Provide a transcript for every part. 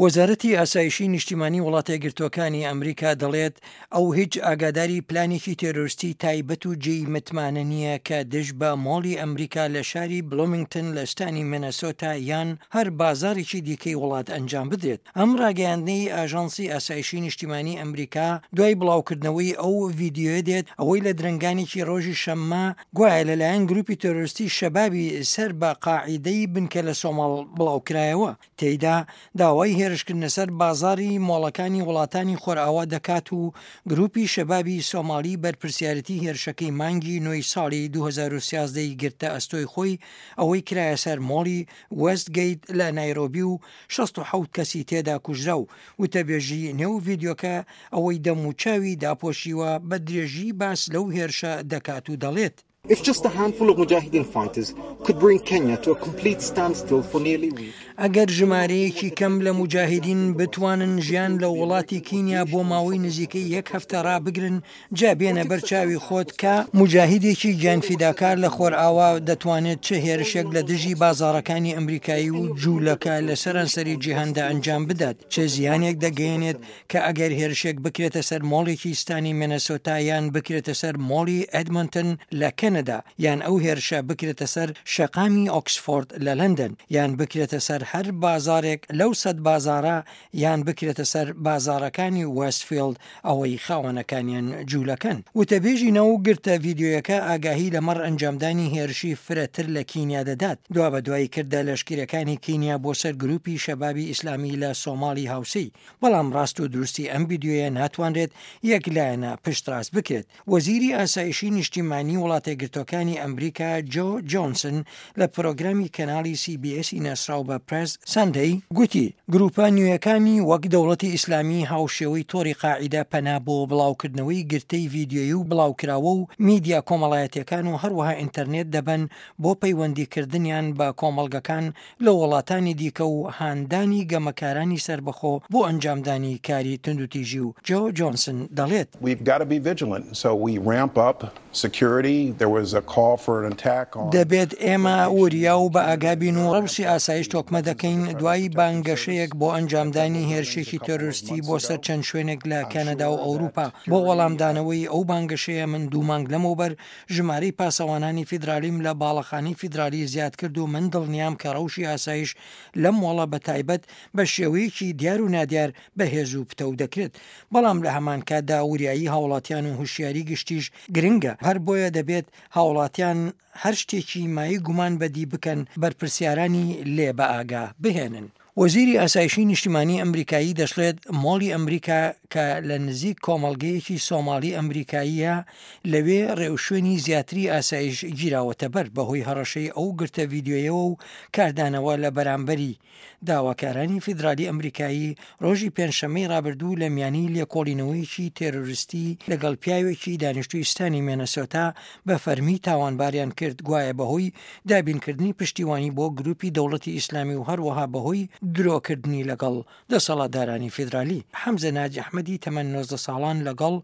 وەزارەتی ئاسایشی نیشتیمانی وڵاتەیەکگرتووەکانی ئەمریکا دەڵێت ئەو هیچ ئاگاداری پلانێکی تێرۆرستی تایبەت و جێی متمانە نییە کە دژ بە مۆڵی ئەمریکا لە شاری بلومینگتن لە ستانی مینەسۆتا یان هەر بازاڕێکی دیکەی وڵات ئەنجام بدرێت. ئەم ڕاگەیاندنەی ئاژانسی ئاسایشی نیشتیمانی ئەمریکا دوای بڵاوکردنەوەی ئەو ڤیدیۆیە دێت ئەوەی لە درەنگانێکی ڕۆژی شەممە گوایە لەلایەن گروپی تێرۆرستی شەبابی سەر بە قاعیدەی بنکە لە سۆماڵ بڵاوکرایەوە. تێیدا داوای هێرشکردنە سەر بازاڕی مۆڵەکانی وڵاتانی خۆرئاوا دەکات و گروپی شەبابی سۆماڵی بەرپرسیارێتی هێرشەکەی مانگی نۆی ساڵی 2013 ی گرتە ئەستۆی خۆی ئەوەی کرایە سەر مۆڵی وێست گەیت لە نایرۆبی و 67 کەسی تێدا کوژرا و وتەبێژی نێو ڤیدیۆکە ئەوەی دەموچاوی داپۆشیوە بە درێژی باس لەو هێرشە دەکات و دەڵێت. If just a handful of Mujahideen fighters could bring Kenya to a complete standstill for nearly week. ئەگەر ژمارەیەکی کەم لە موجاهیدین بتوانن ژیان لە وڵاتی کینیا بۆ ماوەی نزیکەی یەک هەفتە ڕابگرن، جا بێنە بەر چاوی خۆت کە موجاهیدێکی گیانفیداکار لە خۆرئاوا دەتوانێت چ هێرشێک لە دژی بازاڕەکانی ئەمریکایی و جوولەکە لە سەرانسەری جیهاندا ئەنجام بدات، چ زیانێک دەگەیەنێت کە ئەگەر هێرشێک بکرێتە سەر مۆڵێکی ستانی مێنەسۆتا یان بکرێتە سەر مۆڵی ئێدمۆنتن لە کەنەدا یان ئەو هێرشە بکرێتە سەر شەقامی ئۆکسفۆرد لە لەندەن یان بکرێتە سەر هەر بازاڕێک لەو سەد بازاڕە یان بکرێتە سەر بازاڕەکانی وێستفیڵد ئەوەی خاوەنەکانیان جوولەکەن. وتەبێژی ناو گرتە ڤیدیۆیەکە ئاگاهی لەمەڕ ئەنجامدانی هێرشی فرەتر لە کینیا دەدات دوابەدوای کردە لەشکریەکانی کینیا بۆ سەر گروپی شەبابی ئیسلامی لە سۆماڵی هاوسێی بەڵام ڕاست و دروستی ئەم ڤیدیۆیە ناتوانرێت یەک لایەنە پشتڕاست بکرێت. وەزیری ئاسایشی نیشتیمانی وڵاتەیەکگرتووەکانی ئەمریکا جۆ جۆنسن لە پرۆگرامی کەناڵی سی بی ئێسی ناسراو بە پرێس سەندەی گوتی گروپە نوێیەکانی وەک دەوڵەتی ئیسلامی هاوشێوەی تۆڕی قاعیدە پەنا بۆ بڵاوکردنەوەی گرتەی ڤیدیۆیی و بڵاوکراوە و میدیا کۆمەڵایەتیەکان و هەروەها ئینتەرنێت دەبەن بۆ پەیوەندیکردنیان بە کۆمەڵگەکان لە وڵاتانی دیکە و هاندانی گەمەکارانی سەربەخۆ بۆ ئەنجامدانی کاری توندوتیژی و جۆ جۆنسن دەڵێت. دەبێت ئێمە وریا و بەئاگا بین و ڕەوشی ئاسایش تۆکمە دەکەین دوای بانگەشەیەک بۆ ئەنجامدانی هێرشێکی تێرۆرستی بۆ سەر چەند شوێنێک لە کەنەدا و ئەوروپا. بۆ وەڵامدانەوەی ئەو بانگەشەیە من دوو مانگ لەمەوبەر ژمارەی پاسەوانانی فیدرالیم لە باڵەخانەی فیدرالی زیاد کرد و من دڵنیام کە ڕەوشی ئاسایش لەم مۆڵە بە تایبەت بە شێوەیەکی دیار و نادیار بەهێز و پتەو دەکرێت. بەڵام لە هەمان کاتدا وریایی هاوڵاتیان و هوشیاری گشتیش گرنگە، هەر بۆیە دەبێت هاوڵاتیان هەر شتێکی مایەی گومان بەدی بکەن بەرپرسیارانی لێ بەئاگا بهێنن. وەزیری ئاسایشی نیشتیمانی ئەمریکایی دەشڵێت، مۆڵی ئەمریکا کە لە نزیک کۆمەڵگەیەکی سۆماڵی ئەمریکاییە، لەوێ ڕێوشوێنی زیاتری ئاسایش گیراوەتەبەر بەهۆی هەڕەشەی ئەو گرتە ڤیدیۆیەوە و کاردانەوە لە بەرامبەری. داواکارانی فیدرالی ئەمریکایی ڕۆژی پێنجشەممەی ڕابردوو لە میانی لێکۆڵینەوەیەکی تێرۆریستی لەگەڵ پیاوێکی دانیشتووی ستانی مێنەسۆتا بە فەرمی تاوانباریان کرد گوایە بەهۆی دابینکردنی پشتیوانی بۆ گروپی دەوڵەتی ئیسلامی و هەروەها بەهۆی درۆکردنی لەگەڵ دەسەڵاتدارانی فیدرالی. حەمزە ناجی ئەحمەدی تەمەن 19 ساڵان لەگەڵ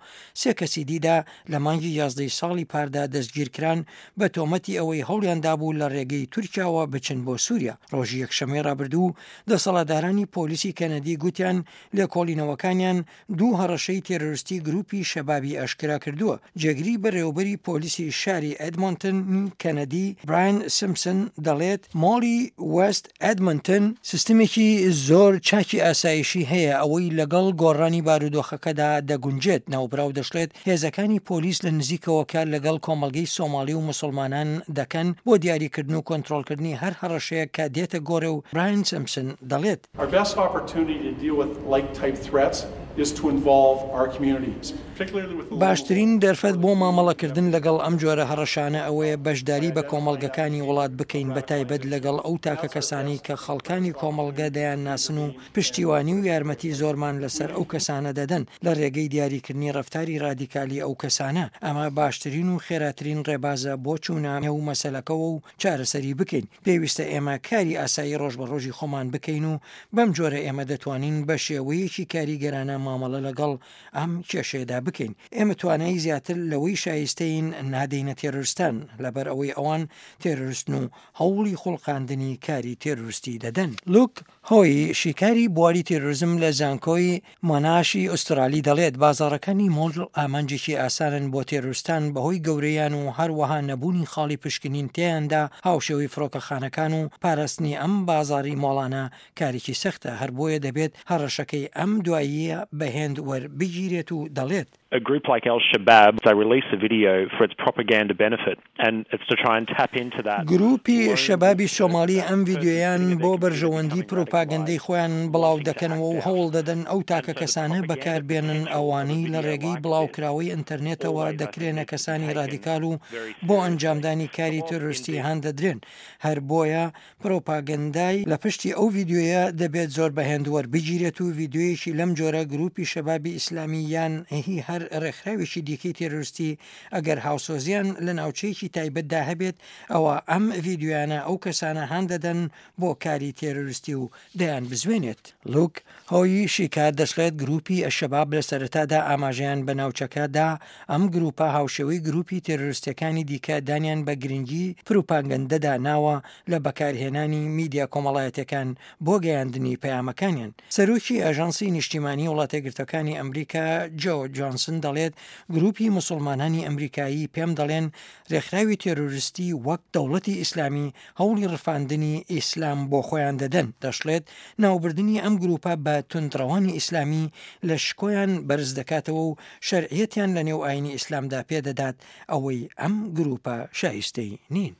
سێ کەسی دیدا لە مانگی یازدەی ساڵی پاردا دەستگیرکران بە تۆمەتی ئەوەی هەوڵیان دابوو لە ڕێگەی تورکیاوە بچن بۆ سووریا. ڕۆژی یەکشەممەی ڕابردوو دەسەڵاتدارانی پۆلیسی کەنەدی گوتیان لێکۆڵینەوەکانیان دوو هەڕەشەی تێرۆریستی گروپی شەبابی ئاشکرا کردووە. جێگری بەڕێوەبەری پۆلیسی شاری ئێدمۆنتنی کەنەدی براین سمپسن دەڵێت مۆڵی وێست ئێدمۆنتن سیستمێکی زۆر چاکی ئاسایشی هەیە ئەوەی لەگەڵ گۆڕانی بارودۆخەکەدا دەگونجێت. ناوبراو دەشڵێت هێزەکانی پۆلیس لە نزیکەوە کار لەگەڵ کۆمەڵگەی سۆماڵی و موسڵمانان دەکەن بۆ دیاریکردن و کۆنترۆڵکردنی هەر هەڕەشەیەک کە دێتە گۆڕێ و براین سمپسن دەڵێت Our best opportunity to deal with like type threats is to involve our communities, particularly with the باشترین دەرفەت بۆ مامەڵەکردن لەگەڵ ئەم جۆرە هەڕەشانە ئەوەیە بەشداری بە کۆمەڵگەکانی وڵات بکەین بەتایبەت لەگەڵ ئەو تاکەکەسانەی کە خەڵکانی کۆمەڵگە دەیانناسن و پشتیوانی و یارمەتی زۆرمان لەسەر ئەو کەسانە دەدەن لە ڕێگەی دیاریکردنی ڕەفتاری ڕادیکالی ئەو کەسانە. ئەمە باشترین و خێراترین ڕێبازە بۆ چوونە نێو مەسەلەکەوە و چارەسەری بکەین. پێویستە ئێمە کاری ئاسایی ڕۆژ بە ڕۆژی خۆمان بکەین و بەم جۆرە ئێمە دەتوانین بە شێوەیەکی کاریگەرانە مامەڵە لەگەڵ ئەم کێشەیەدا بکەین. ئێمە توانایی زیاتر لەوەی شایستەین نادەینە تێرۆرستان، لەبەر ئەوەی ئەوان تێرۆرستن و هەوڵی خوڵقاندنی کاری تێرۆرستی دەدەن. لوک هۆی، شیکاری بواری تێرۆرزم لە زانکۆی مۆناشی ئوسترالی دەڵێت، بازاڕەکانی مۆڵ ئامانجێکی ئاسانن بۆ تێرۆرستان بەهۆی گەورەیان و هەروەها نەبوونی خاڵی پشکنین تێیاندا هاوشێوەی فڕۆکەخانەکان و پاراستنی ئەم بازاڕی مۆڵانە کارێکی سەختە، هەر بۆیە دەبێت هەڕەشەکەی ئەم دواییە بە هێند وەربگیرێت و دەڵێت. A group like Al Shabaab, they release a video for its propaganda benefit and it's to try and tap into that. گرووپی شەبابی سۆماڵی ئەم ڤیدیۆیان بۆ بەرژەوەندی پروپاگەندەی خۆیان بڵاو دەکەنەوە و هەوڵ دەدەن ئەو تاکە کەسانە بەکار بێنن ئەوانەی لە ڕێگەی بڵاوکراوەی ئینتەرنێتەوە دەکرێنە کەسانی ڕادیکال و بۆ ئەنجامدانی کاری تێرۆریستی هان دەدرێن هەر بۆیە پرۆپاگەندای لە پشتی ئەو ڤیدیۆیە دەبێت زۆر بە هێند وەربگیرێت و ڤیدیۆیەکی لەم جۆرە گروپی شەبابی ئیسلامی یان هی هەر ڕێکخراوێکی دیکەی تێرۆریستی ئەگەر هاوسۆزیان لە ناوچەیەکی تایبەتدا هەبێت ئەوا ئەم ڤیدیۆیانە ئەو کەسانە هان دەدەن بۆ کاری تێرۆریستی و دەیانبزوێنێت. لوک هۆی شیکار دەشڵێت گروپی ئەلشەباب لە سەرەتادا ئاماژەیان بە ناوچەکە دا، ئەم گروپە هاوشێوەی گروپی تێرۆرستیەکانی دیکە دانیان بە گرنگی پروپاگەندەدا ناوە لە بەکارهێنانی میدیا کۆمەڵایەتیەکان بۆ گەیاندنی پەیامەکانیان. سەرۆکی ئاژانسی نیشتیمانی وڵاتەیەکگرتوەکانی ئەمریکا جۆ جۆنسن دەڵێت گروپی موسوڵمانانی ئەمریکایی پێم دەڵێن رێکخراوی تێرۆرستی وەک دەوڵەتی ئیسلامی هەوڵی ڕفاندنی ئیسلام بۆ خۆیان دەدەن، دەشڵێت، ناوبردنی ئەم گروپە بە توندڕەوانی ئیسلامی لە شکۆیان بەرز دەکاتەوە و شەرعیەتیان لە نێو ئاینی ئیسلامدا پێدەدات، ئەوەی ئەم گروپە شایستەی نین.